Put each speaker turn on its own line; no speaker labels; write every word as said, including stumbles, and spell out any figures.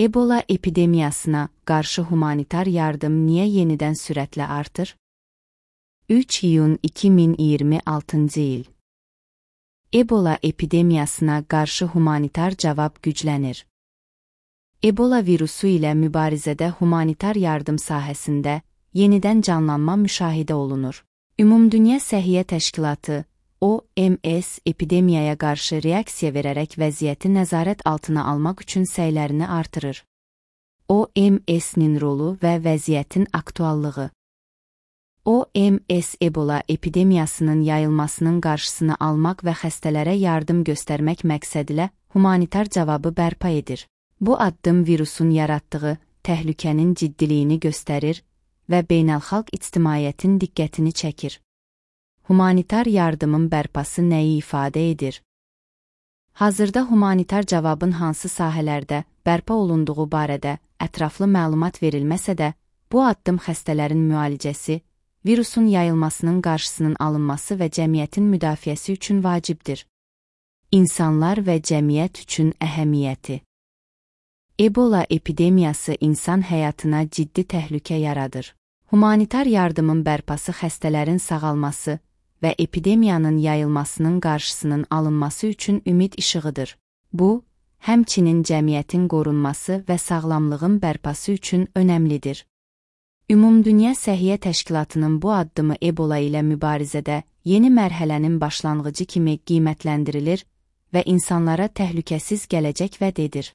Ebola epidemiyasına qarşı humanitar yardım niyə yenidən sürətlə artır? üç iyun iki min iyirmi altıncı il. Ebola epidemiyasına qarşı humanitar cavab güclənir. Ebola virusu ilə mübarizədə humanitar yardım sahəsində yenidən canlanma müşahidə olunur. Ümumdünya Səhiyyə Təşkilatı, O M S, epidemiyaya qarşı reaksiya verərək vəziyyəti nəzarət altına almaq üçün səylərini artırır. O M S-nin rolu və vəziyyətin aktuallığı. O M S Ebola epidemiyasının yayılmasının qarşısını almaq və xəstələrə yardım göstərmək məqsədilə humanitar cavabı bərpa edir. Bu addım virusun yaratdığı təhlükənin ciddiliyini göstərir və beynəlxalq ictimaiyyətin diqqətini çəkir. Humanitar yardımın bərpası nəyi ifadə edir? Hazırda humanitar cavabın hansı sahələrdə bərpa olunduğu barədə ətraflı məlumat verilməsə də, bu addım xəstələrin müalicəsi, virusun yayılmasının qarşısının alınması və cəmiyyətin müdafiəsi üçün vacibdir. İnsanlar və cəmiyyət üçün əhəmiyyəti. Ebola epidemiyası insan həyatına ciddi təhlükə yaradır. Humanitar yardımın bərpası xəstələrin sağalması və epidemiyanın yayılmasının qarşısının alınması üçün ümid işığıdır. Bu, həmçinin cəmiyyətin qorunması və sağlamlığın bərpası üçün önəmlidir. Ümumdünya Səhiyyə Təşkilatının bu addımı Ebola ilə mübarizədə yeni mərhələnin başlanğıcı kimi qiymətləndirilir və insanlara təhlükəsiz gələcək vəd edir.